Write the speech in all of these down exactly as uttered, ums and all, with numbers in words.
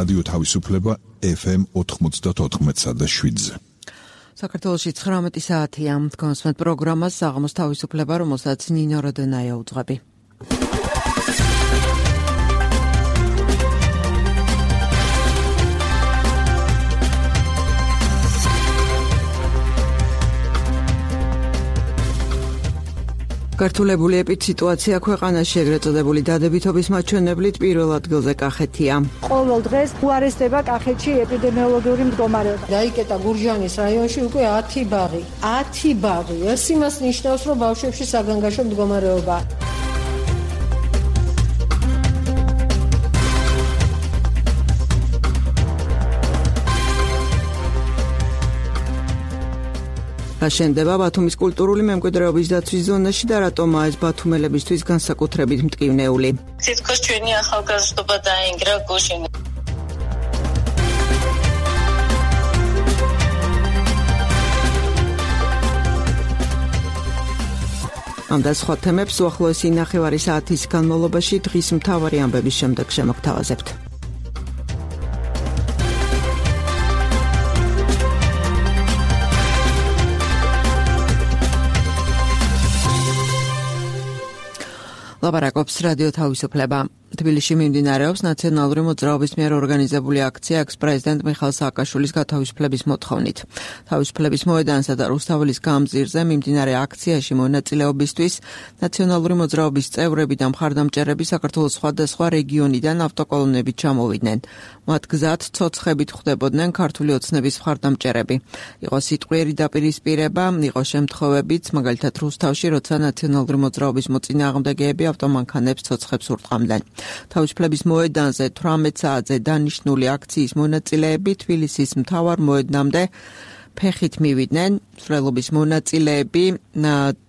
რადიო თავისუფლება ეფ ემ ოთხმოცდაოთხ და შვიდზე. საქართველოში ცხრამეტი საათია. კონსმეთ პროგრამას საღამოს თავისუფლება, რომელსაც ნინო როდენაია უძღვები. გართულებული ეპიდსიტუაცია ქვეყანაში, ეგრეთ წოდებული დადებითობის მაჩვენებლით პირველ ადგილზე კახეთია. ყოველ დღეს უარესდება კახეთში ეპიდემიოლოგიური მდგომარეობა. დაიკეტა გურჯაანის რაიონში უკვე ათი ბაღი. ათი ბაღი. ეს იმას ნიშნავს, რომ ბავშვებში საგანგაშო მდგომარეობა. აშენდება ბათუმის კულტურული მემკვიდრეობის დაცვის ზონაში და რატომაა ეს ბათუმელებისთვის განსაკუთრებით მტკივნეული. თითქოს ჩვენი ახალგაზრდობა დაინგრა გუშინ. ამ და სხვა თემებს უახლოესი ნახევარი საათის განმავლობაში დღის მთავარი ამბების შემდეგ შემოგთავაზებთ. ლაპარაკობს რადიო თავისუფლება. თბილისში მიმდინარეობს ნაციონალური მოძრაობის მიერ ორგანიზებული აქცია ექს-პრეზიდენტ მიხაილ სააკაშვილის გათავისუფლების მოთხოვნით. თავისუფლების მოედანსა და რუსთაველის გამზირზე მიმდინარე აქციაში მონაწილეობისთვის ნაციონალური მოძრაობის წევრები და მხარდამჭერები საქართველოს სხვადასხვა რეგიონიდან ავტოკოლონებით ჩამოვიდნენ. მათ გზად ცოცხებით ხვდებოდნენ ქართული ოცნების მხარდამჭერები. იყო სიტყვიერი დაპირისპირება, იყო შემთხვევებიც, მაგალითად რუსთავში, როცა ნაციონალური მოძრაობის მოწინააღმდეგეები ავტომანქანებს ცოცხებს ურტყამდნენ. თავისუფლების მოედანზე თვრამეტ საათზე დანიშნული აქციის მონაწილეები თბილისის მთავარ მოედნამდე ფეხით მივიდნენ. მსვლელობის მონაწილეები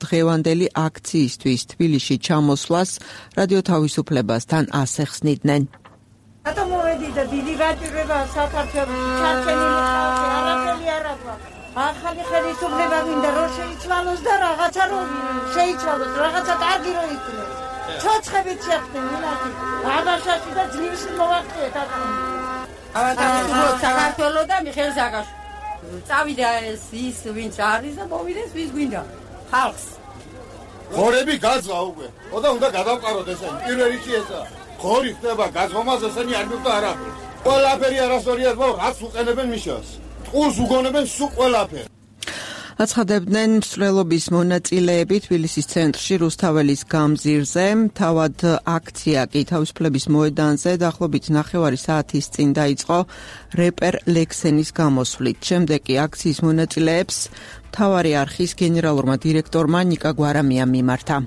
დღევანდელი აქციისთვის თბილისში ჩამოსვლას რადიო თავისუფლებასთან ასე ხსნიდნენ. რატომ მოვედი და დიდი გაჭირვება საქართველოს ჩარჩენილი ხალხი არაფერი არ აქვს. ახალი ხელისუფლება მინდა რომ შეიცვალოს და რაღაცა რომ შეიცვალოს, რაღაცა კარგი რომ იქნეს. ცოცხებით შეხვდნენ მინათი აბაშაში და ძლივში მოვახტიეთ აკრა. ავადმყოფ საქართველოს და მიხეილ სააკაშვილი. წავიდა ეს ის ვინც არის და მოვიდეს ვის გვინდა ხალხს. ხორები გაძღა უკვე. ოდა უნდა გადავყაროთ ესენი. პირველ რიგში ესა. ხორი ხდება გაზღომას ესენი არ მივდა არაფერი. ყველაფერი არასწორია, მაგრამ რაც უყენებენ მიშას. ტყუს უგონებენ სულ ყველაფერი. აცხადებდნენ მსვლელობის მონაწილეები თბილისის ცენტრში რუსთაველის გამზირზე. თავად აქცია კი თავისუფლების მოედანზე დაახლოებით ნახევარი საათის წინ დაიწყო რეპერ ლექსენის გამოსვლით. შემდეგ კი აქციის მონაწილეებს მთავარი არხის გენერალურმა დირექტორმა ნიკა გვარამიამ მიმართა.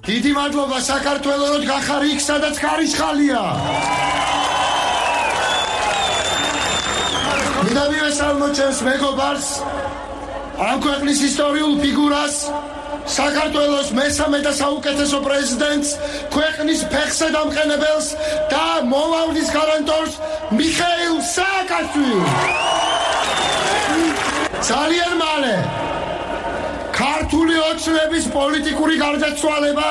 დიდი მადლობა საქართველოს, რომ გახარ იქ, სადაც ხარისხალია. მინდა მივესალმოთ ჩემს მეგობარს, ამ ქვეყნის ისტორიულ ფიგურას, საქართველოს მესამე და საუკეთესო პრეზიდენტს, ქვეყნის ფეხზე დამყენებელს და მომავლის გარანტორს მიხეილ სააკაშვილს. ძალიან მალე ქართული ოცნების პოლიტიკური გარდაცვალება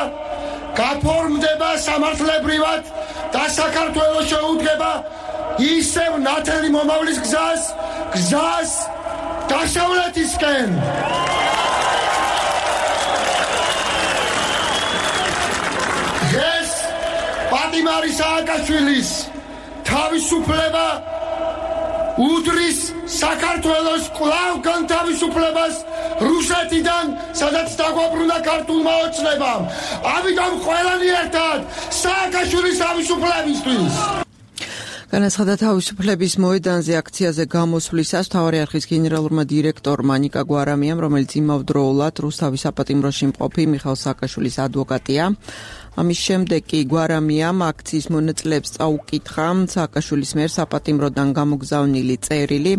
გაფორმდება სამართლებრივად და საქართველოს შეუდგება ისევ ნათელი მომავლის გზას, გზას დასავლეთისკენ. ეს პატიმარი სააკაშვილის თავისუფლება უდრის საქართველოს კვლავ განთავისუფლებას რუსეთიდან, სადაც დაგვაბრუნა ქართულმა ოცნებამ. ამიტომ ყველანი ერთად სააკაშვილის თავისუფლებისთვის. განაცხადა თავისუფლების მოედანზე აქციაზე გამოსვლისას მთავარი არხის გენერალურმა დირექტორმა ნიკა გვარამიამ, რომელიც იმავდროულად რუსთავის საპატიმროში მყოფი მიხეილ სააკაშვილის ადვოკატია. ამის შემდეგ კი გვარამიამ აქციის მონაწილეებს წაუკითხა სააკაშვილის მიერ საპატიმროდან გამოგზავნილი წერილი.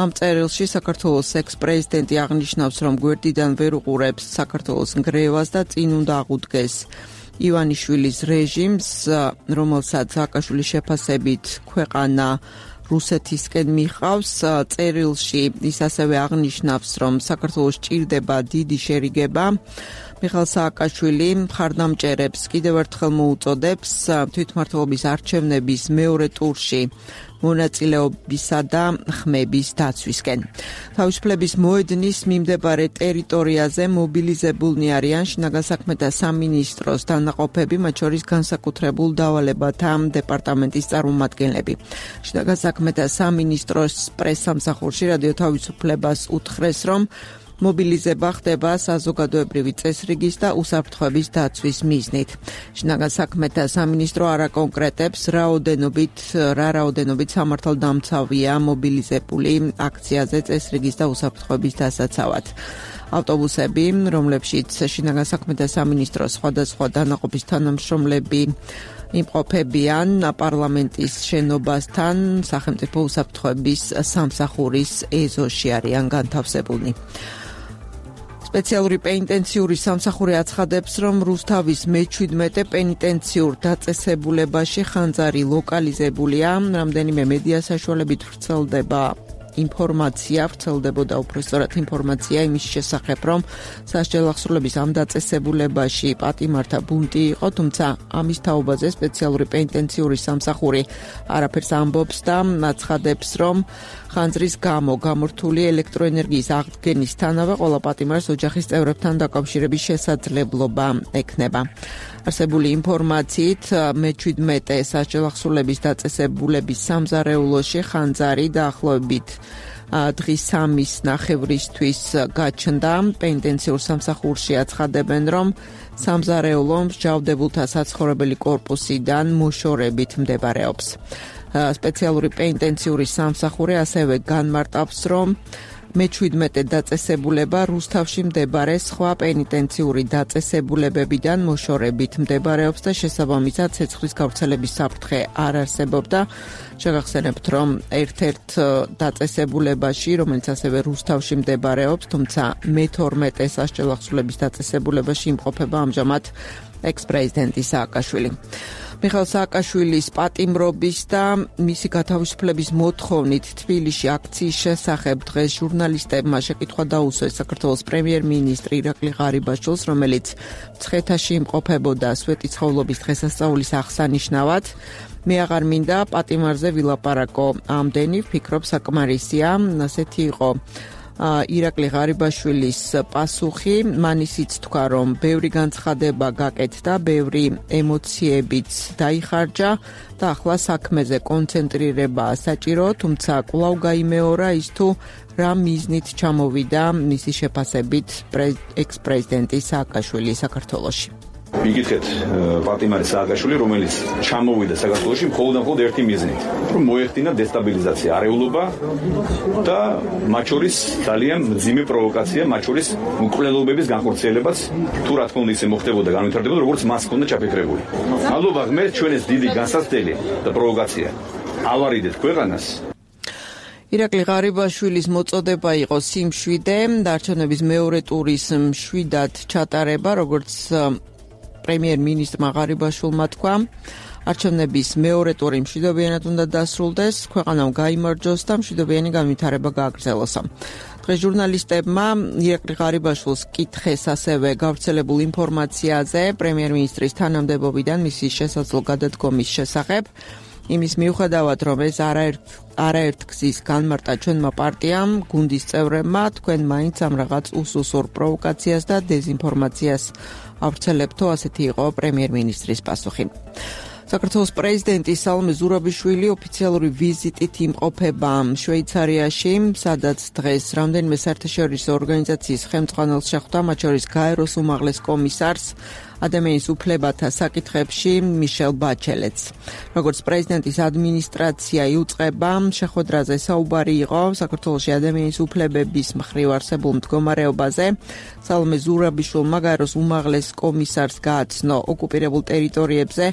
ამ წერილში საქართველოს ექს-პრეზიდენტი აღნიშნავს, რომ გვერდიდან ვერ უყურებს საქართველოს ნგრევას და წინ უნდა აღუდგეს ივანიშვილის რეჟიმს, რომელსაც სააკაშვილის შეფასებით ქვეყანა რუსეთისკენ მიყავს. წერილში ის ასევე აღნიშნავს, რომ საქართველოს ჭირდება დიდი შერიგება მიხეილ სააკაშვილი მხარდამჭერებს კიდევ ერთხელ მოუწოდებს თვითმმართველობის არჩევნების მეორე ტურში მონაწილეობისა და ხმების დაცვისკენ. თავისუფლების მოედნის მიმდებარე ტერიტორიაზე მობილიზებულნი არიან შინაგან საქმეთა სამინისტროს დანაყოფები, მათ შორის განსაკუთრებულ დავალებათა დეპარტამენტის წარმომადგენლები. შინაგან საქმეთა სამინისტროს პრესსამსახურში რადიო თავისუფლებას უთხრეს, რომ მობილიზება ხდება საზოგადოებრივი წესრიგის და უსაფრთხოების დაცვის მიზნით. შინაგან საქმეთა სამინისტრო არ აკონკრეტებს, რაოდენობით რა რაოდენობით სამართალდამცავია მობილიზებული აქციაზე წესრიგის და უსაფრთხოების დასაცავად. ავტობუსები, რომლებშიც შინაგან საქმეთა სამინისტროს სხვადასხვა დანაყოფის თანამშრომლები იმყოფებიან პარლამენტის შენობასთან, სახელმწიფო უსაფრთხოების სამსახურის ეზოში არიან განთავსებულნი. სპეციალური პენიტენციური სამსახური აცხადებს, რომ რუსთავის მეჩვიდმეტე პენიტენციურ დაწესებულებაში ხანძარი ლოკალიზებულია, რამდენიმე მედია საშუალებით ვრცელდება ინფორმაცია, ვრცელდებოდა უпростоრად ინფორმაცია იმის შესახებ, რომ სასჯელ აღსრულების ამ დაწესებულებაში პატიმართა ბუნტი იყო, თუმცა ამის თაობაზე სპეციალური პენიტენციური სამსახური არაფერს ამბობს და აცხადებს, რომ ხანძრის გამო გამორთული ელექტროენერგიის აღდგენისთანავე ყველა პატიმარს ოჯახის წევრებთან დაკავშირების შესაძლებლობა ექნება. არსებული ინფორმაციით მეჩვიდმეტე სასჯელ აღსრულების დაწესებულების სამზარეულოში ხანძარი დაახლოებით დღის სამის ნახევრისთვის გაჩნდა. პენიტენციურ სამსახურში აცხადებენ, რომ სამზარეულო მსჯავრდებულთა საცხოვრებელი კორპუსიდან მოშორებით მდებარეობს. სპეციალური პენიტენციური სამსახური ასევე განმარტავს, რომ მეჩვიდმეტე დაწესებულება რუსთავში მდებარე სხვა პენიტენციური დაწესებულებებიდან მოშორებით მდებარეობს და შესაბამისად ცეცხლის გავრცელების საფრთხე არ არსებობდა. შეგახსენებთ, რომ ერთ-ერთ დაწესებულებაში, რომელიც ასევე რუსთავში მდებარეობს, თუმცა მეთორმეტე სასჯელ აღსრულების დაწესებულებაში იმყოფება ამჟამად ექს-პრეზიდენტი სააკაშვილი. მიხეილ სააკაშვილის პატიმრობის და მისი გათავისუფლების მოთხოვნით თბილისში აქციის შესახებ დღეს ჟურნალისტებმა შეკითხვა დაუსვეს საქართველოს პრემიერ-მინისტრი ირაკლი ღარიბაშვილს, რომელიც მცხეთაში იმყოფებოდა სვეტიცხოვლობის დღესასწაულის აღსანიშნავად. მე აღარ მინდა პატიმარზე ვილაპარაკო ამდენი, ვფიქრობ საკმარისია, ასეთი იყო ირაკლი ღარიბაშვილის პასუხი. მან ისიც თქვა, რომ ბევრი განცხადება გაკეთდა, ბევრი ემოციებიც დაიხარჯა და ახლა საქმეზე კონცენტრირებაა საჭირო, თუმცა კვლავ გაიმეორა ის თუ რა მიზნით ჩამოვიდა მისი შეფასებით ექს-პრეზიდენტი სააკაშვილი საქართველოში. მიგითხეთ პატიმარი სააკაშვილი, რომელიც ჩამოვიდა საქართველოში მხოლოდ და მხოლოდ ერთი მიზნით, რომ მოეხდინა დესტაბილიზაცია, არეულობა და მათ შორის ძალიან მძიმე პროვოკაცია, მათ შორის მკვლელობების განხორციელებაც, თუ რა თქმა უნდა ისე მოხდებოდა, განვითარდებოდა, როგორც მას ჰქონდა ჩაფიქრებული. მადლობა ღმერთს, ჩვენ ეს დიდი განსაცდელი და პროვოკაცია ავარიდეთ ქვეყანას. ირაკლი ღარიბაშვილის მოწოდება იყო სიმშვიდე, არჩევნების მეორე ტურის მშვიდად ჩატარება, როგორც პრემიერ-მინისტრმა ღარიბაშვილმა თქვა, არჩევნების მეორე ტური მშვიდობიანად უნდა დასრულდეს, ქვეყანამ გაიმარჯვოს და მშვიდობიანი განვითარება გააგრძელოსა. დღეს ჟურნალისტებმა ირაკლი ღარიბაშვილს კითხეს ასევე გავრცელებულ ინფორმაციაზე პრემიერ-მინისტრის თანამდებობიდან მისი შესაძლო გადადგომის შესახებ. იმის მიუხედავად, რომ ეს არაერთ არაერთ გზის განმარტა ჩვენმა პარტიამ, გუნდის წევრებმა, თქვენ მაინც ამ რაღაც უსუსურ პროვოკაციას და დეზინფორმაციას ავრცელებთო, ასეთი იყო პრემიერ-მინისტრის პასუხი. საქართველოს პრეზიდენტი სალომე ზურაბიშვილი ოფიციალური ვიზიტით იმყოფება შვეიცარიაში, სადაც დღეს რამდენიმე საერთაშორისო ორგანიზაციის ხელმძღვანელს შეხვდა, მათ შორის გაეროს უმაღლეს კომისარს ადამიანის უფლებათა საკითხებში მიშელ ბაჩელეტს. როგორც პრეზიდენტის ადმინისტრაცია იუწყება, შეხვედრაზე საუბარი იყო საქართველოში ადამიანის უფლებების მხრივ არსებულ მდგომარეობაზე. სალომე ზურაბიშვილმა გაეროს უმაღლეს კომისარს გააცნო ოკუპირებულ ტერიტორიებზე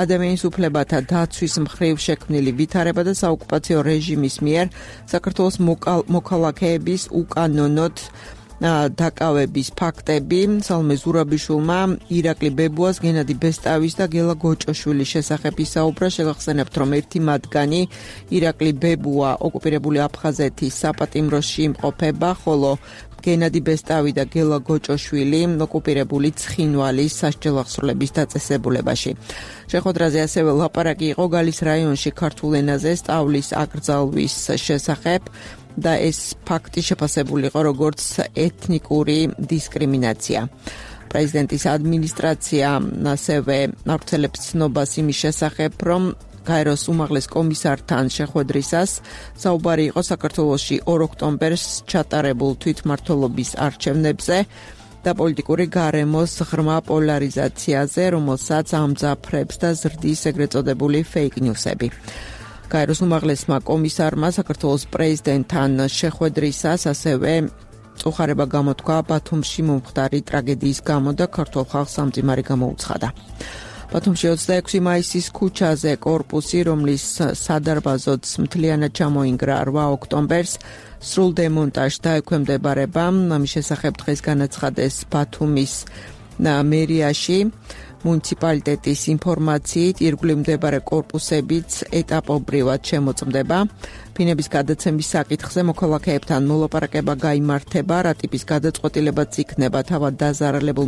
ადამიანის უფლებათა დაცვის მხრივ შექმნილი ვითარება და საოკუპაციო რეჟიმის მიერ საქართველოს მოქალაქეების უკანონოდ დაკავების ფაქტები. სალომე ზურაბიშვილმა ირაკლი ბებუას, გენადი ბესტავის და გელა გოჭოშვილის შესახებ ისაუბრა. შეგახსენებთ, რომ ერთი მათგანი ირაკლი ბებუა ოკუპირებული აფხაზეთის საპატიმროში იმყოფება, ხოლო გენადი ბესტავი და გელა გოჭოშვილი ოკუპირებული ცხინვალის სასჯელ აღსრულების დაწესებულებაში. შეხვედრაზე ასევე ლაპარაკი იყო გალის რაიონში ქართულ ენაზე სწავლის აკრძალვის შესახებ და ეს ფაქტი შეფასებული იყო როგორც ეთნიკური დისკრიმინაცია. პრეზიდენტის ადმინისტრაცია ასევე ავრცელებს ცნობას იმის შესახებ, რომ გაეროს უმაღლეს კომისართან შეხვედრისას საუბარი იყო საქართველოში ორ ოქტომბერს ჩატარებულ თვითმმართველობის არჩევნებზე და პოლიტიკური გარემოს ღრმა პოლარიზაციაზე, რომელსაც ამძაფრებს და ზრდის ეგრეთ წოდებული fake news-ები. გაეროს უმაღლესმა კომისარმა საქართველოს პრეზიდენტთან შეხვედრისას ასევე წუხარება გამოთქვა ბათუმში მომხდარი ტრაგედიის გამო და ქართულ ხალხს სამძიმარი გამოუცხადა. ბათუმში ოცდაექვსი მაისის ქუჩაზე კორპუსი, რომლის სადარბაზოც მთლიანად ჩამოინგრა რვა ოქტომბერს, სრულ დემონტაჟს დაექვემდებარება. ამის შესახებ დღეს განაცხადეს ბათუმის მერიაში. მუნიციპალიტეტის ინფორმაციით, ირგვლივ მდებარე კორპუსებიც ეტაპობრივად შემოწმდება. ფინების გადაცემის საკითხზე მოქალაქეებთან მოლაპარაკება გაიმართება, რა ტიპის გადაწყვეტილებაც იქნება თავად დაზარალებულ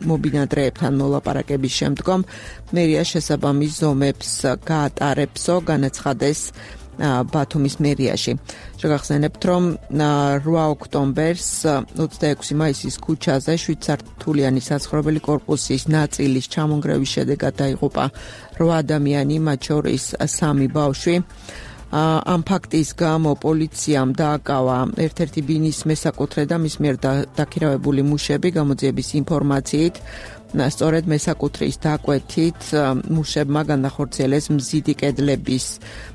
მობინადრეებთან მოლაპარაკების შემდგომ. მერია შესაბამის ზომებს გაატარებსო, განაცხადეს ბათუმის მერიაში. შეგახსენებთ, რომ რვა ოქტომბერს ოცდაექვსი მაისის ქუჩაზე შვიდ სართულიანი საცხოვრებელი კორპუსის ნაწილის ჩამონგრევის შედეგად დაიღუპა რვა ადამიანი, მათ შორის სამი ბავშვი. ამ ფაქტის გამო პოლიციამ დააკავა ერთ-ერთი ბინის მესაკუთრე და მის მიერ დაქირავებული მუშები. გამოძიების ინფორმაციით, სწორედ მესაკუთრის დაკვეთით მუშებმა განახორციელეს მზიდი კედლების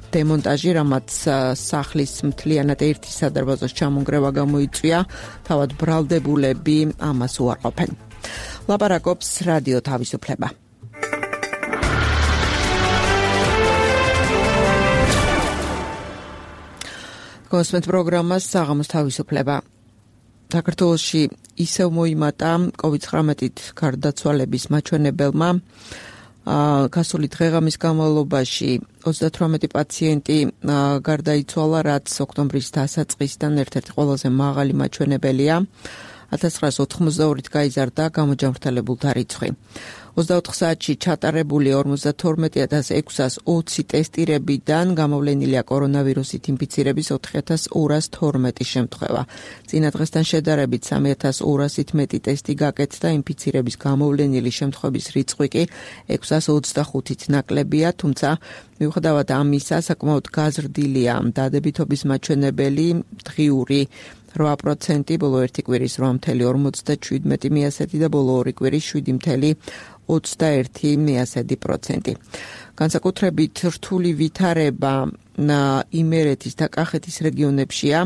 დემონტაჟი, რამაც სახლის მთლიანად ერთი სადარბაზოს ჩამონგრევა გამოიწვია. თავად ბრალდებულები ამას უარყოფენ. ლაპარაკობს რადიო თავისუფლება. კონსპექტ პროგრამას საღამოს თავისუფლება. საქართველოში ისევ მოიმატა კოვიდ ცხრამეტით გარდაცვალების მაჩვენებელმა. გასული დღეღამის განმავლობაში ოცდათვრამეტი პაციენტი გარდაიცვალა, რაც ოქტომბრის დასაწყისიდან ერთ-ერთი ყველაზე მაღალი მაჩვენებელია. ათას ცხრაას ოთხმოცდაორით გაიზარდა გამოჯამრთელებულთა რიცხვი. ოცდაოთხ საათში ჩატარებული ორმოცდათორმეტი ათას ექვსას ოცი ტესტირებიდან გამოვლენილია კორონავირუსით ინფიცირების ოთხი ათას ორას თორმეტი შემთხვევა. წინა დღესთან შედარებით სამი ათას ორასით მეტი ტესტი გაკეთდა, ინფიცირების გამოვლენილი შემთხვევების რიცხვი კი ექვსას ოცდახუთით ნაკლებია, თუმცა მიუხედავად ამისა, საკმაოდ გაზრდილია დადებითობის მაჩვენებელი, დღიური რვა პროცენტი, ბოლო ერთი კვირის რვა მცდარი ორმოცდაშვიდმეტი მიასეთი და ბოლო ორი კვირის შვიდი მცდარი ოცდაერთი მიასეთი პროცენტი. განსაკუთრებით რთული ვითარება იმერეთის და კახეთის რეგიონებშია.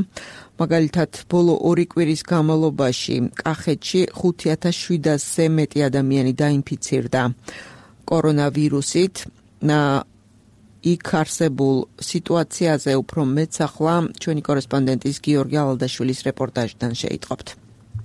მაგალითად, ბოლო ორი კვირის განმავლობაში კახეთში ხუთი ათას შვიდასზე მეტი ადამიანი დაინფიცირდა კორონავირუსით. იქ არსებულ სიტუაციაზე უფრო მეტს ახლა ჩვენი კორესპონდენტის გიორგი ალადაშვილის რეპორტაჟიდან შეიტყობთ.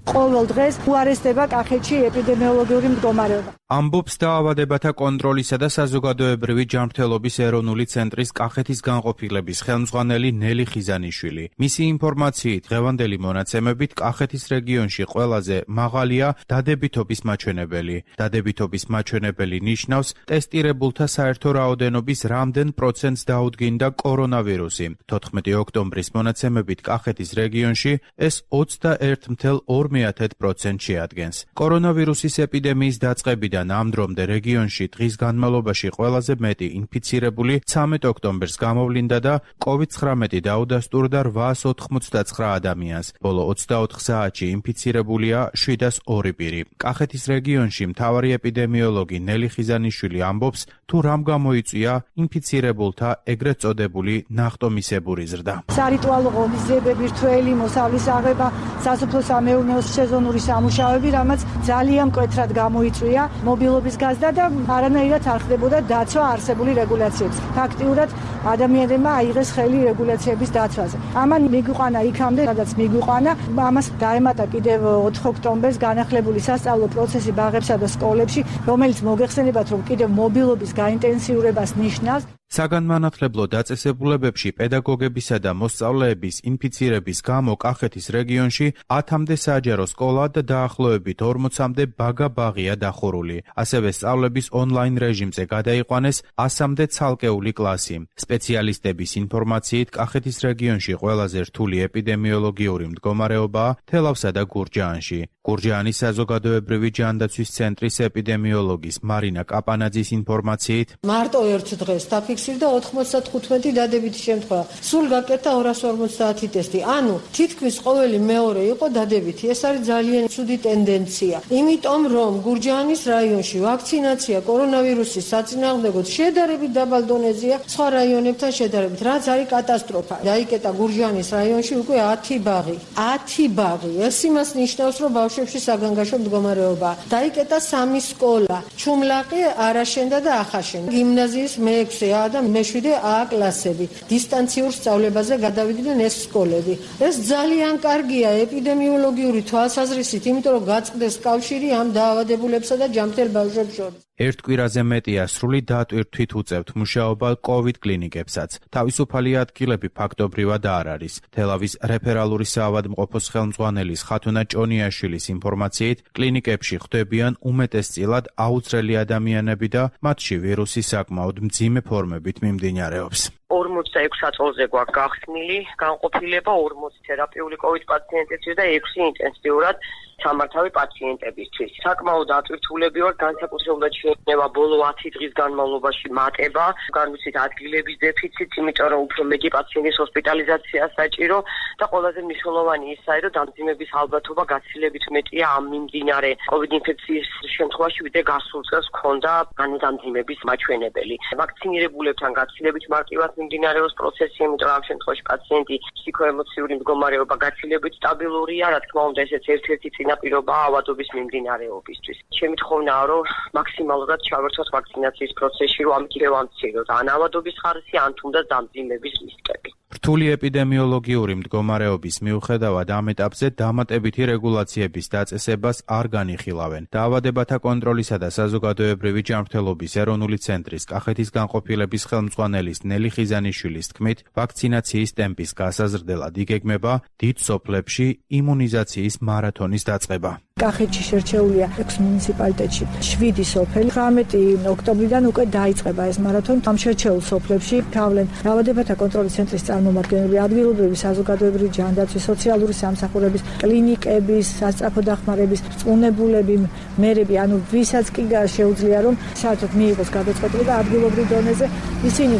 ყოველ დღეს უარესდება კახეთში ეპიდემიოლოგიური მდგომარეობა. ამბობს დაავადებათა კონტროლისა და საზოგადოებრივი ჯანმრთელობის ეროვნული ცენტრის კახეთის განყოფილების ხელმძღვანელი ნელი ხიზანიშვილი. მისი ინფორმაციით, დღევანდელი მონაცემებით კახეთის რეგიონში ყველაზე მაღალია დადებითობის მაჩვენებელი. დადებითობის მაჩვენებელი ნიშნავს ტესტირებულთა საერთო რაოდენობის რამდენ პროცენტს დაუდგინდა კორონავირუსი. თოთხმეტი ოქტომბრის მონაცემებით კახეთის რეგიონში ეს ოცდაერთი მცდარი ორ პროცენტს შეადგენს. კორონავირუსის ეპიდემიის დაწყებიდან ამ დრომდე რეგიონში დღის განმავლობაში ყველაზე მეტი ინფიცირებული ცამეტ ოქტომბერს გამოვლინდა და კოვიდ ცხრამეტი დაუდასტურდა რვაას ოთხმოცდაცხრა ადამიანს. ბოლო ოცდაოთხ საათში ინფიცირებულია შვიდას ორი პირი. კახეთის რეგიონში მთავარი ეპიდემიოლოგი ნელი ხიზანიშვილი ამბობს, თუ რამ გამოიწვია ინფიცირებულთა ეგრეთ წოდებული ნახტომისებური ზრდა. სარიტუალო ღონისძიებები, რთველი მოსავლის აღება, სასოფლო-სამეურნეო სეზონური სამუშაოები, რამაც ძალიან მკვეთრად გამოიწვია მობილობის გაზრდა და არანაირად არ ხდებოდა დაცვა არსებული რეგულაციების. ფაქტიურად ადამიანებმა აიღეს ხელი რეგულაციების დაცვაზე. ამან მიგვიყვანა იქამდე, სადაც მიგვიყვანა, ამას დაემატა კიდევ ოთხ ოქტომბერს განახლებული სასწავლო პროცესი ბაღებსა და სკოლებში, რომელიც მოგეხსენებათ, რომ კიდევ მობილობის გაინტენსიურებას ნიშნავს. საგანმანათლებლო დაწესებულებებში პედაგოგებისა და მოსწავლეების ინფიცირების გამო კახეთის რეგიონში ათამდე საჯარო სკოლა და დაახლოებით ორმოცამდე ბაგა-ბაღია დახურული. ასევე სწავლების ონლაინ რეჟიმზე გადაიყვანეს ასამდე ცალკეული კლასი. სპეციალისტების ინფორმაციით კახეთის რეგიონში ყველაზე რთული ეპიდემიოლოგიური მდგომარეობაა თელავსა და გურჯაანში. გურჯაანის საზოგადოებრივი ჯანდაცვის ცენტრის ეპიდემიოლოგის მარინა კაპანაძის ინფორმაციით მარტო ერთ დღეს დაფიქსირდა ოთხმოცდათხუთმეტი დადებითი შემთხვევა. სულ გაკეთა ორასი ორმოცდაათი ტესტი. ანუ თითქმის ყოველი მეორე იყო დადებითი. ეს არის ძალიან ცუდი ტენდენცია. იმიტომ რომ გურჯაანის რაიონში ვაქცინაცია კორონავირუსის საწინააღმდეგოდ შედარებით დაბალ დონეზეა სხვა რაიონებთან შედარებით, რაც არის კატასტროფა. დაიკეტა გურჯაანის რაიონში უკვე ათი ბაღი. ათი ბაღი. ეს იმას ნიშნავს, რომ ბავშვებში საგანგაშო მდგომარეობაა. დაიკეტა სამი სკოლა. ჩუმლაყი, არაშენდა და ახაშენ. გიმნაზიის მეექვსე A და მეშვიდე A კლასები. დისტანციურ სწავლებაზე გადავიდნენ ეს სკოლები. ეს ძალიან კარგია ეპიდემიოლოგიური თვალსაზრისით, იმიტომ რომ გაწყდეს კავშირი ამ დაავადებულებსა და ჯანმრთელ ბავშვებს შორის. ერთ კვირაზე მეტია სრული დატვირთვით უწევთ მუშაობა კოვიდ კლინიკებსაც. თავისუფალი ადგილები ფაქტობრივად არ არის. თელავის რეფერალური საავადმყოფოს ხელმძღვანელის ხათუნა ჭონიაშვილის ინფორმაციით, კლინიკებში ხვდებიან უმეტესწილად აუცრელი ადამიანები და მათში ვირუსი საკმაოდ მძიმე ფორმებით მიმდინარეობს. ორმოცდაექვსი აწოლზე გვაქვს გახსნილი განყოფილება, ორმოცი თერაპიული კოვიდ პაციენტებისთვის და ექვსი ინტენსიურად სამართავი პაციენტებისთვის. საკმაოდ ატვირთულები ვართ, განსაკუთრებულად შეექმნება ბოლო ათი დღის განმავლობაში მატება, განვიცით ადგილების დეფიციტს, იმიტომ რომ უფრო მეტი პაციენტის ჰოსპიტალიზაცია საჭირო და ყველაზე მნიშვნელოვანი ისაა, რომ დამძიმების ალბათობა გაცილებით მეტია ამ მიმდინარე კოვიდ ინფექციის შემთხვევაში, ვიდრე გასულ წელს ჰქონდა განმძიმების მაჩვენებელი. ვაქცინირებულებთან გაცილებით მარტივად მიმდინარეობს პროცესი, იმიტომ რომ ამ შემთხვევაში პაციენტი ფსიქოემოციური მდგომარეობა გაცილებით სტაბილურია, რა თქმა უნდა, ესეც ერთ-ერთი წინაპირობაა ავადობის მიმდინარეობისთვის. ჩემი თხოვნაა, რომ მაქსიმალურად ჩავერთოთ ვაქცინაციის პროცესში, რომ ამით შევამციროთ ან ავადობის ხარისხი, ან თუნდაც დამძიმების რისკები. რთული ეპიდემიოლოგიური მდგომარეობის მიუხედავად ამ ეტაპზე დამატებითი რეგულაციების დაწესებას არ განიხილავენ. დაავადებათა კონტროლისა და საზოგადოებრივი ჯანმრთელობის ეროვნული ცენტრის კახეთის განყოფილების ხელმძღვანელის ნელი ხიზანიშვილის თქმით, ვაქცინაციის ტემპის გასაზრდელად იგეგმება დიდ სოფლებში იმუნიზაციის მარათონის დაწყება. კახეთში შერჩეულია ექვსი მუნიციპალიტეტში შვიდი სოფელი. თვრამეტი ოქტომბრიდან უკვე დაიწყება ეს მარათონი. ამ შერჩეულ სოფლებში თავლენ დაავადებათა კონტროლის ცენტრის წარმომადგენლები, ადგილობრივი საზოგადოებრივი ჯანდაცვის, სოციალური სამსახურების, კლინიკების, სასწრაფო დახმარების წუნებულები, მერები, ანუ ვისაც კი შეუძლია რომ საერთოდ მიიღოს გადაწყვეტილება ადგილობრივ დონეზე, ისინი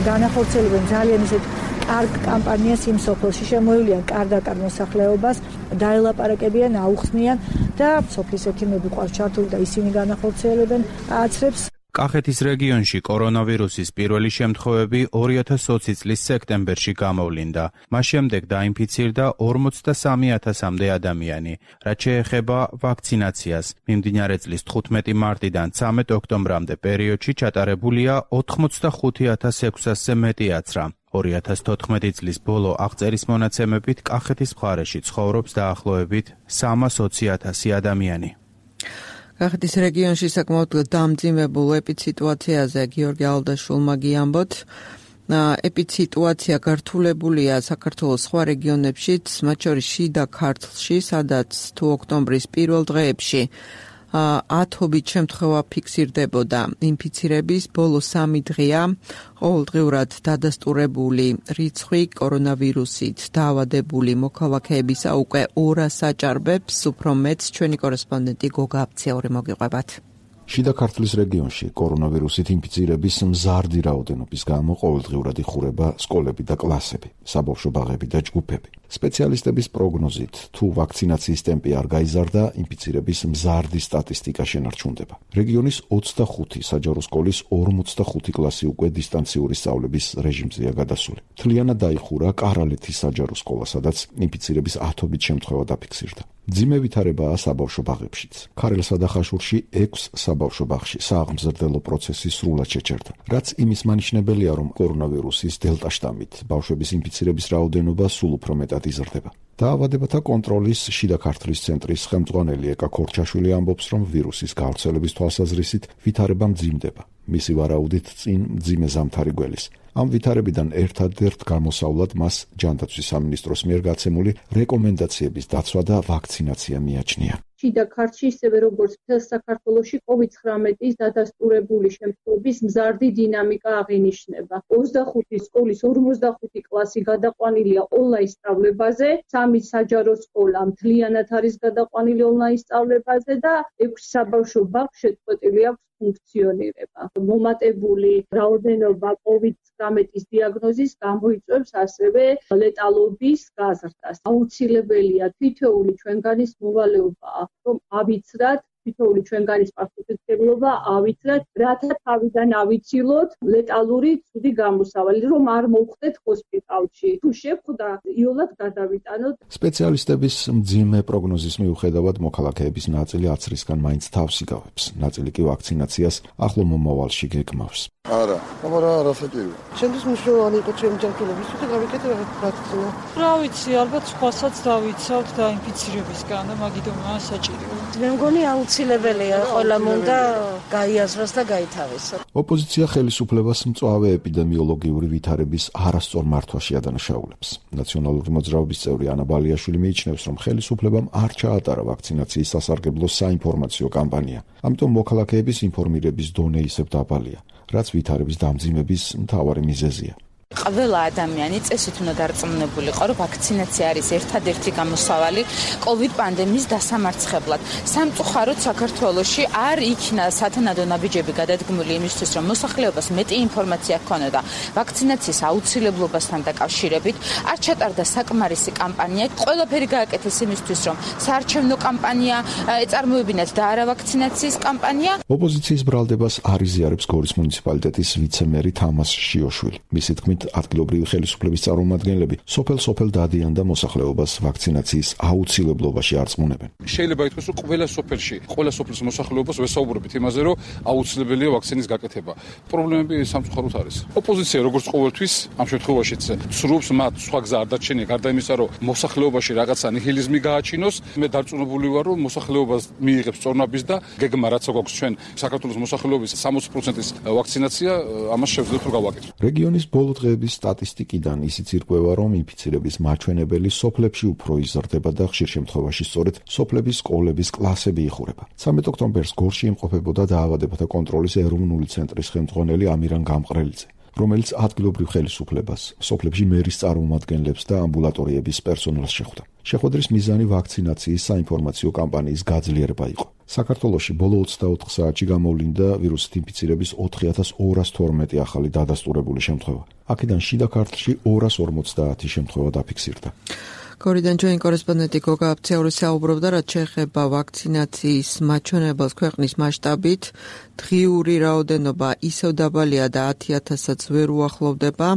განახორციელებენ ძალიან ისეთ კარგ კამპანიას იმ სოფელში, შემოივლიან კარდაკარ მოსახლეობას, დაელაპარაკებიან, აუხსნიან და სოფლის ექიმები ყავს ჩართული და ისინი განახორციელებენ აცრებს. კახეთის რეგიონში კორონავირუსის პირველი შემთხვევები ორი ათას ოცი წლის სექტემბერში გამოვლინდა. მას შემდეგ დაინფიცირდა ორმოცდასამი ათასამდე ადამიანი. რაც შეეხება ვაქცინაციას, მიმდინარე წლის თხუთმეტი მარტიდან ცამეტ ოქტომბრამდე პერიოდში ჩატარებულია ოთხმოცდახუთი ათას ექვსასზე მეტი აცრა. ორი ათას თოთხმეტი წლის ბოლო აღწერის მონაცემებით კახეთის მხარეში ცხოვრობს დაახლოებით სამას ოცი ათასი ადამიანი. კახეთის რეგიონში საკმაოდ დამძიმებულ ეპიდსიტუაციაზე გიორგი ალდაშვილმა გიამბოთ. ეპიდსიტუაცია გართულებულია საქართველოს სხვა რეგიონებშიც, მათ შორის შიდა ქართლში, სადაც თუ ოქტომბრის პირველ დღეებში ათობით შემთხვევა ფიქსირდებოდა ინფიცირების, ბოლო სამი დღეა ყოველდღიურად დადასტურებული რიცხვი კორონავირუსით დაავადებული მოქალაქეებისა უკვე ორას აჭარბებს, უფრო მეტს ჩვენი კორესპონდენტი გოგა აფციური მოგიყვებათ. შიდა ქართლის რეგიონში კორონავირუსით ინფიცირების მზარდი რაოდენობის გამო ყოველდღიურად იხურება სკოლები და კლასები, საბავშვო ბაღები და ჯგუფები. სპეციალისტების პროგნოზით, თუ ვაქცინაციის ტემპი არ გაიზარდა, ინფიცირების მზარდი სტატისტიკა შენარჩუნდება. რეგიონის ოცდახუთი საჯარო სკოლის ორმოცდახუთი კლასი უკვე დისტანციური სწავლების რეჟიმზეა გადასული. მთლიანად დაიხურა კარალეთის საჯარო სკოლა, სადაც ინფიცირების ათობით შემთხვევა დაფიქსირდა. მძიმე ვითარებაა საბავშვო ბაღებშიც. ქარელსა და ხაშურში ექვს საბავშვო ბაღში სააღმზრდელო პროცესი სრულად შეჩერდა. რაც იმის მანიშნებელია, რომ კორონავირუსის დელტა შტამით ბავშვების ინფიცირების რაოდენობა სულ უფრო მეტად იზრდება. დაავადებათა კონტროლის შიდა ქართლის ცენტრის ხელმძღვანელი ეკა ქორჩაშვილი ამბობს, რომ ვირუსის გავრცელების თვალსაზრისით ვითარება მძიმდება. მისი ვარაუდით წინ მძიმე ზამთარი გველის. ამ ვითარებიდან ერთადერთ გამოსავლად მას ჯანდაცვის სამინისტროს მიერ გაცემული რეკომენდაციების დაცვა და ვაქცინაცია მიაჩნია. შიდა ქართლში ისევე როგორც მთელ საქართველოში კოვიდ ცხრამეტის დადასტურებული შემთხვევების მზარდი დინამიკა აღინიშნება. ოცდახუთი სკოლის ორმოცდახუთი კლასი გადაყვანილია ონლაინ სწავლებაზე, სამი საჯარო სკოლა მთლიანად არის გადაყვანილი ონლაინ სწავლებაზე და ექვსი საბავშვო ბაღი შეწყვეტილი აქვს ფუნქციონირება. მომატებული რაოდენობა კოვიდ ცხრამეტის დიაგნოზის გამოიწვევს ასევე ლეტალობის გაზრდას. აუცილებელია თითოეული ჩვენგანის მოვალეობაა, რომ ავიცრათ თითოეული ჩვენგანის პასუხისმგებლობა ავიცრათ, რათა თავიდან ავიცილოთ ლეტალური ცუდი გამოსავალი, რომ არ მოვხდეთ ჰოსპიტალში. თუ შეხვდა, იოლად გადავიტანოთ. სპეციალისტების მძიმე პროგნოზის მიუხედავად მოქალაქეების ნაწილი აცრისგან მაინც თავს იგავებს. ნაწილი კი ვაქცინაციას ახლო მომავალში გეგმავს. არა, მაგრამ არაფერი. ჩემთვის მნიშვნელოვანი იყო ჩემი ჯანმრთელობის თუ გავიკეთე ვაქცინა. რა ვიცი, ალბათ სხვასაც დავიცავთ დაინფიცირებისგან და მაგიტომაა საჭირო. მე მგონი აუცილებელია ყველამ უნდა გაიაზროს და გაითავისოს. ოპოზიცია ხელისუფლებას მწვავე ეპიდემიოლოგიური ვითარების არასწორ მართვაში ადანაშაულებს. ნაციონალური მოძრაობის წევრი ანა ბალიაშვილი მიიჩნევს, რომ ხელისუფლებამ არ ჩაატარა ვაქცინაციის სასარგებლო საინფორმაციო კამპანია. ამიტომ მოქალაქეების ინფორმირების დონე ისევ დაბალია, რაც ვითარების დამძიმების მთავარი მიზეზია. ყველა ადამიანი წესით უნდა დარწმუნებულიყო, რომ ვაქცინაცია არის ერთადერთი გამოსავალი კოვიდ პანდემიის დასამარცხებლად. სამწუხაროდ საქართველოში არ იქნა სათანადო ნაბიჯები გადადგმული იმისთვის, რომ მოსახლეობას მეტი ინფორმაცია ჰქონოდა ვაქცინაციის აუცილებლობასთან დაკავშირებით. არ ჩატარდა საკმარისი კამპანია. ყველაფერი გააკეთეს იმისთვის, რომ საარჩევნო კამპანია ეწარმოებინათ და არა ვაქცინაციის კამპანია. ოპოზიციის ბრალდებას არ იზიარებს გორის მუნიციპალიტეტის ვიცე-მერი თამას შიოშვილი. მისი თქმით, ადგილობრივი ხელისუფლების წარმომადგენლები სოფელ-სოფელ დადიან და მოსახლეობას ვაქცინაციის აუცილებლობაში არწმუნებენ. შეიძლება ითქვას, რომ ყველა სოფელში, ყველა სოფლის მოსახლეობას ვესაუბრებით იმაზე, რომ აუცილებელია ვაქცინის გაკეთება. პრობლემები სამწუხაროდ არის. ოპოზიცია როგორც ყოველთვის ამ შემთხვევაშიც ცრუებს მათ სხვა გზა არ დარჩენია, გარდა იმისა, რომ მოსახლეობაში რაღაცა ნიჰილიზმი გააჩინოს. მე დარწმუნებული ვარ, რომ მოსახლეობას მიიღებს წორნაბის და გეგმა რაც აქვს ჩვენ საქართველოს მოსახლეობის სამოცი პროცენტის ვაქცინაცია, ამას შევძლებთ რომ გავაკეთოთ. რეგიონის ბოლო დღეების სტატისტიკიდან ისიც ირკვევა, რომ ინფიცირების მაჩვენებელი სოფლებში უფრო იზრდება და ხშირ შემთხვევაში სწორედ სოფლების სკოლების კლასები იხურება. სამი ოქტომბერს გორში იმყოფებოდა დაავადებათა კონტროლის ეროვნული ცენტრის ხელმძღვანელი ამირან გამყრელიძე, რომელიც ადგილობრივ ხელისუფლებას, სოფლებში მერის წარმომადგენლებს და ამბულატორიების პერსონალს შეხვდა. შეხვედრის მიზანი ვაქცინაციის საინფორმაციო კამპანიის გაძლიერება იყო. საქართველოში ბოლო ოცდაოთხ საათში გამოვლინდა ვირუსით ინფიცირების ოთხი ათას ორას თორმეტი ახალი დადასტურებული შემთხვევა. აქედან შიდა ქართლში ორას ორმოცდაათი შემთხვევა დაფიქსირდა. გორიდან ჩვენი კორესპონდენტი გოგა აფციური საუბრობდა, რაც შეეხება ვაქცინაციის მაჩვენებელს ქვეყნის მასშტაბით. დღიური რაოდენობა ისევ დაბალია და ათი ათასაც ვერ უახლოვდება.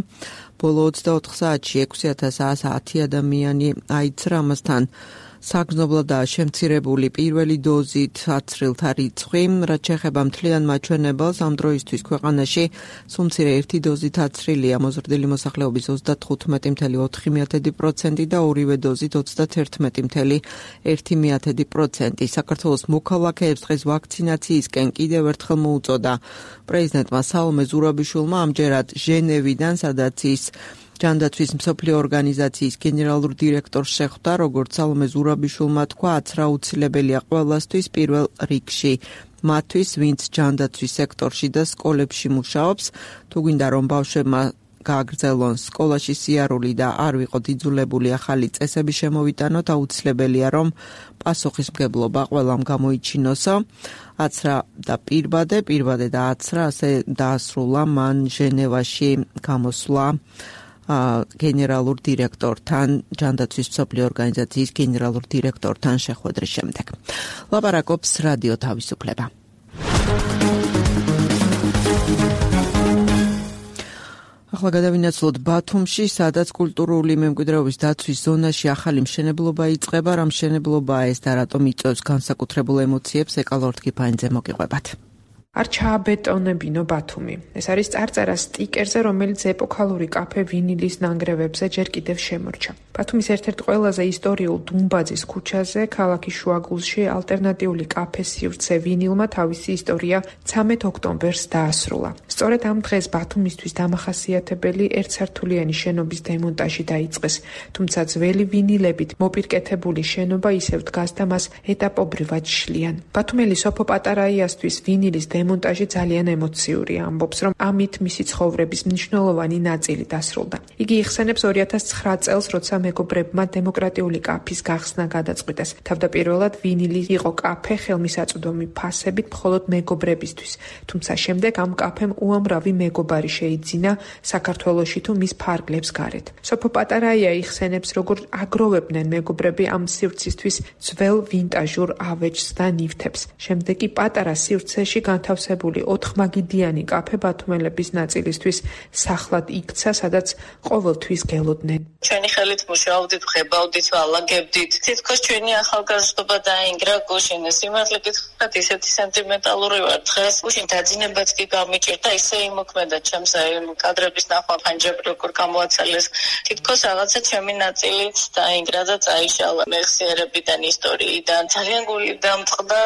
ბოლო ოცდაოთხ საათში ექვსი ათას ათი ადამიანი აიცრა, ამასთან საგრძნობლადაა შემცირებული პირველი დოზით აცრილთა რიცხვი. რაც შეეხება მთლიან მაჩვენებელს, ამ დროისთვის ქვეყანაში სულ მცირე ერთი დოზით აცრილია მოზრდილი მოსახლეობის ოცდათხუთმეტი წუთი ოთხი პროცენტი და ორივე დოზით ოცდაათერთმეტი წუთი ერთი პროცენტი. საქართველოს მოქალაქეებს დღეს ვაქცინაციისკენ კიდევ ერთხელ მოუწოდა პრეზიდენტმა სალომე ზურაბიშვილმა, ამჯერად ჟენევიდან, სადაც ის ჯანდაცვის მსოფლიო ორგანიზაციის გენერალურ დირექტორს შეხვდა. როგორც სალომე ზურაბიშვილმა თქვა, აცრა აუცილებელია ყველასთვის, პირველ რიგში მათთვის, ვინც ჯანდაცვის სექტორში და სკოლებში მუშაობს. თუ გვინდა რომ ბავშვებმა გააგრძელონ სკოლაში სიარული და არ ვიყოთ იძულებული ახალი წესები შემოვიტანოთ, აუცილებელია რომ პასუხისმგებლობა ყველამ გამოიჩინოსო. აცრა და პირბადე, პირბადე და აცრა ასე დაასრულა მან ჟენევაში გამოსვლა გენერალურ დირექტორთან, ჯანდაცვის მსოფლიო ორგანიზაციის გენერალურ დირექტორთან შეხვედრის შემდეგ. ლაპარაკობს რადიო თავისუფლება. ახლა გადავინაცვლოთ ბათუმში, სადაც კულტურული მემკვიდრეობის დაცვის ზონაში ახალი მშენებლობა იწყება. რა მშენებლობაა ეს და რატომ იწვევს განსაკუთრებულ ემოციებს, ეკალორთ კიფაინძე მოგიყვებათ. არ ჩააბეტონებინო ბათუმი. ეს არის წარწერა სტიკერზე, რომელიც ეპოქალური კაფე ვინილის ნანგრევებზე ჯერ კიდევ შემორჩა. ბათუმის ერთ-ერთ ყველაზე ისტორიულ დუმბაძის ქუჩაზე, ქალაქის შუაგულში, ალტერნატიული კაფე სივრცე ვინილმა თავისი ისტორია ცამეტ ოქტომბერს დაასრულა. სწორედ ამ დღეს ბათუმისთვის დამახასიათებელი ერთსართულიანი შენობის დემონტაჟი დაიწყეს, თუმცა ძველი ვინილებით მოპირკეთებული შენობა ისევ დგას და მას ეტაპობრივად შლიან. ბათუმელი სოფო პატარაიასთვის ვინილის დემონტაჟი ძალიან ემოციურია, ამბობს, რომ ამით მისი ცხოვრების მნიშვნელოვანი ნაწილი დასრულდა. იგი იხსენებს ორი ათას ცხრა წელს, როცა მეგობრებმა დემოკრატიული კაფის გახსნა გადაწყვიტეს. თავდაპირველად ვინილი იყო კაფე ხელმისაწვდომი ფასებით მხოლოდ მეგობრებისთვის, თუმცა შემდეგ ამ კაფემ უამრავი მეგობარი შეიძინა საქართველოში თუ მის ფარგლებს გარეთ. სოფო პატარაია იხსენებს, როგორ აგროვებდნენ მეგობრები ამ სივრცისთვის ძველ ვინტაჟურ ავეჯს და ნივთებს. შემდეგ კი პატარა სივრცეში განთავსებული ოთხმაგიდიანი კაფე ბათუმელების ნაწილისთვის სახლად იქცა, სადაც ყოველთვის გელოდნენ. ჩვენი ხელით მუშაობდით, ხებავდით, ვალაგებდით. თითქოს ჩვენი ახალგაზრდობა დაინგრა გუშინ. სიმართლე გითხრათ, ისეთი სენტიმენტალური ვარ. დღეს გუშინ დაძინებაც კი გამიჭირდა, ისე იმოქმედა ჩემს კადრების ნახვა ფანჯები როგორ გამოაცალეს. თითქოს რაღაცა ჩემი ნაწილით დაინგრა და წაიშალა მეხსიერებიდან, ისტორიიდან. ძალიან გული დამწყდა,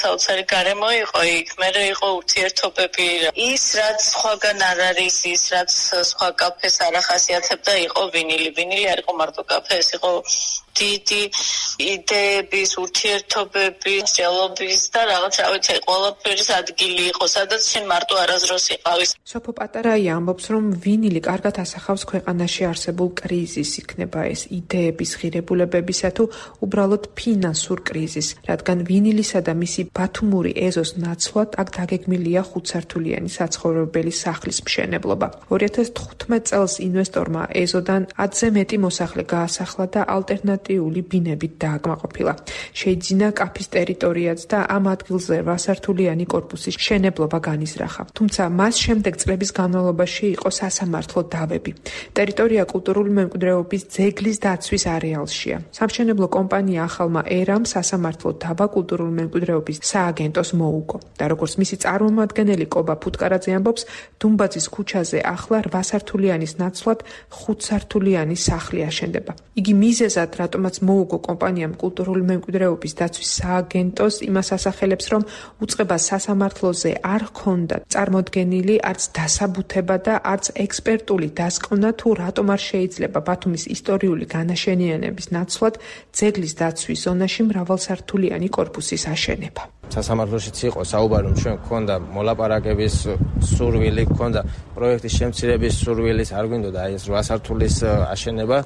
საოცარი გარემო იყო იქ. მერე იყო ურთიერთობები. ის რაც სხვაგან არ არის, ის რაც სხვა კაფეს არ ახასიათებდა, იყო ვინილი. ვინილი არ იყო მარტო კაფე, ეს იყო დიდი იდეების, ურთიერთობების, მსჯელობის და რაღაც, რა ვიცი, ყველაფერის ადგილი იყო, სადაც შენ მარტო არაზროს იყავის. სოფო პატარაია ამბობს, რომ ვინილი კარგად ასახავს ქვეყანაში არსებულ კრიზისს, იქნება ეს იდეების ღირებულებებისა თუ უბრალოდ ფინანსურ კრიზისს, რადგან ვინილისა და მისი ბათუმური ეზოს ნაცვლად აქ დაგეგმილია ხუთსართულიანი საცხოვრებელი სახლის მშენებლობა. ორი ათას თხუთმეტ წელს ინვესტორმა ეზოდან ათზე მეტი მოსახლე გაასახლა და ალტერნატიული ბინებით დააკმაყოფილა. შეიძინა კაფის ტერიტორიაც და ამ ადგილზე რვასართულიანი კორპუსის მშენებლობა განიზრახა. თუმცა მას შემდეგ წლების განმავლობაში იყო სასამართლო დავები. ტერიტორია კულტურული მემკვიდრეობის ძეგლის დაცვის არეალშია. სამშენებლო კომპანია ახალმა ერამ სასამართლო დავა კულტურული მემკვიდრეობის სააგენტოს მოუგო და როგორც მისი წარმომადგენელი კობა ფუტკარაძე ამბობს, დუმბაძის ქუჩაზე ახლა რვასართულიანის ნაცვლად ხუთსართულიანი სახლი აშენდება. იგი მიზეზად, რატომაც მოუგო კომპანიამ კულტურული მემკვიდრეობის დაცვის სააგენტოს, იმას ასახელებს, რომ უწყებას სასამართლოზე არ ჰქონდა წარმოდგენილი არც დასაბუთება და არც ექსპერტული დასკვნა, თუ რატომ არ შეიძლება ბათუმის ისტორიული განაშენიანების ნაცვლად ძეგლის დაცვის ზონაში მრავალსართულიანი კორპუსის აშენება. სასამართლოშიც იყო საუბარი, რომ ჩვენ გქონდა მოლაპარაკების სურვილი, გქონდა პროექტის შემცირების სურვილის, არ გვინდოდა აი ეს რვასართულის აშენება,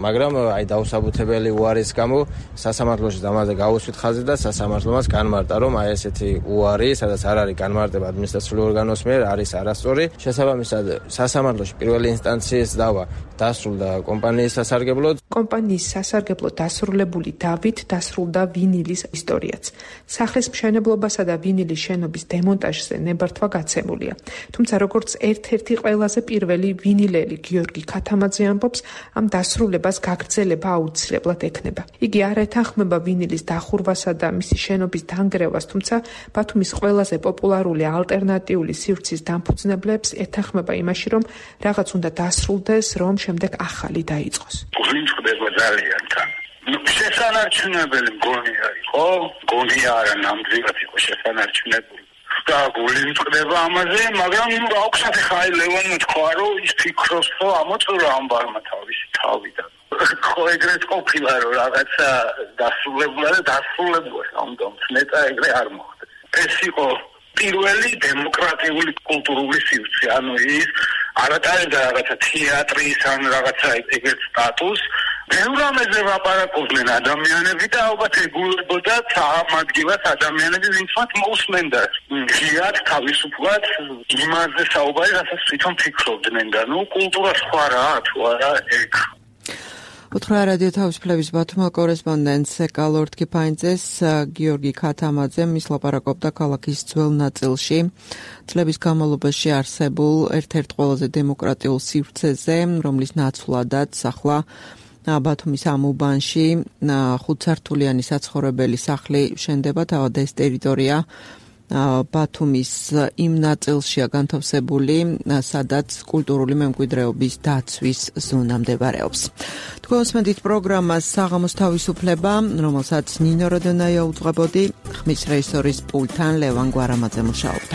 მაგრამ აი დაუსაბუთებელი უარის გამო სასამართლოში ამაზე გაუსვით ხაზი და სასამართლომაც განმარტა, რომ აი ესეთი უარი, სადაც არ არის განმარტება ადმინისტრაციული ორგანოს მიერ, არის არასწორი. შესაბამისად, სასამართლოში პირველი ინსტანციის დავა დასრულდა კომპანიის სასარგებლოდ. კომპანიის სასარგებლო დასრულებული დავით დასრულდა ვინილის ისტორიაც. სახლის მშენებლობასა და ვინილის შენობის დემონტაჟზე ნებართვა გაცემულია. თუმცა როგორც ერთ-ერთი ყველაზე პირველი ვინილელი გიორგი ქათამაძე ამბობს, ამ დასრულებას გაგრძელება აუცილებლად ექნება. იგი არ ეთანხმება ვინილის დახურვასა და მისი შენობის დანგრევას, თუმცა ბათუმის ყველაზე პოპულარული ალტერნატიული სივრცის დამფუძნებლებს ეთანხმება იმაში, რომ რაღაც უნდა დასრულდეს, რომ შემდეგ ახალი დაიწყოს. გვინწყდება ძალიან თან. შესანარჩუნებელი მგონია იყო, მგონია არა ნამდვილად იყო შესანარჩუნებელი. და გვინწყდება ამაზე, მაგრამ აუქსათი ხაი ლევანმა თქვა, რომ ის ფიქრობს, რომ ამოწურა ამბარმა თავისი თავიდან. ხო ეგრეთ ყოფილა, რომ რაღაცა დასრულებულა და დასრულებულა, ამიტომ ნეტა ეგრე არ მოხდა. ეს იყო პირველი დემოკრატიული კულტურული სივრცე, ანუ ის არატარებდა რაღაცა თეატრის ან რაღაცა ეგრეთ სტატუსს. ბევრამეზე ვაპარაკობდნენ ადამიანები და ალბათ ეგულებოდა ამ ადგილას ადამიანები, ვინც მათ მოусმენდა. ღიად, თავისუფლად იმაზე საუბარი, რასაც თვითონ ფიქრობდნენ და ნუ კულტურა სხვა რაა, თუ არა ეგ. უთხრა რადიო თავისუფლების ბათუმის კორესპონდენტს ეკალორდ კიფაინძეს გიორგი ქათამაძე მის ლაპარაკობდა ქალაქის ძველ ნაწილში წლების განმავლობაში არსებულ ერთ-ერთ ყველაზე დემოკრატიულ სივრცეზე, რომლის ნაცვლადაც ახლა ბათუმის ამ უბანში ხუთსართულიანი საცხოვრებელი სახლი შენდება, თავად ეს ტერიტორია ბათუმის იმ ნაწილშია განთავსებული, სადაც კულტურული მემკვიდრეობის დაცვის ზონა მდებარეობს. თქვენ უსმენთ პროგრამას საღამოს თავისუფლება, რომელსაც ნინო როდონაია უძღვებოდი, ხმის რეჟისორის პულტთან ლევან გვარამაძე მუშაობდა.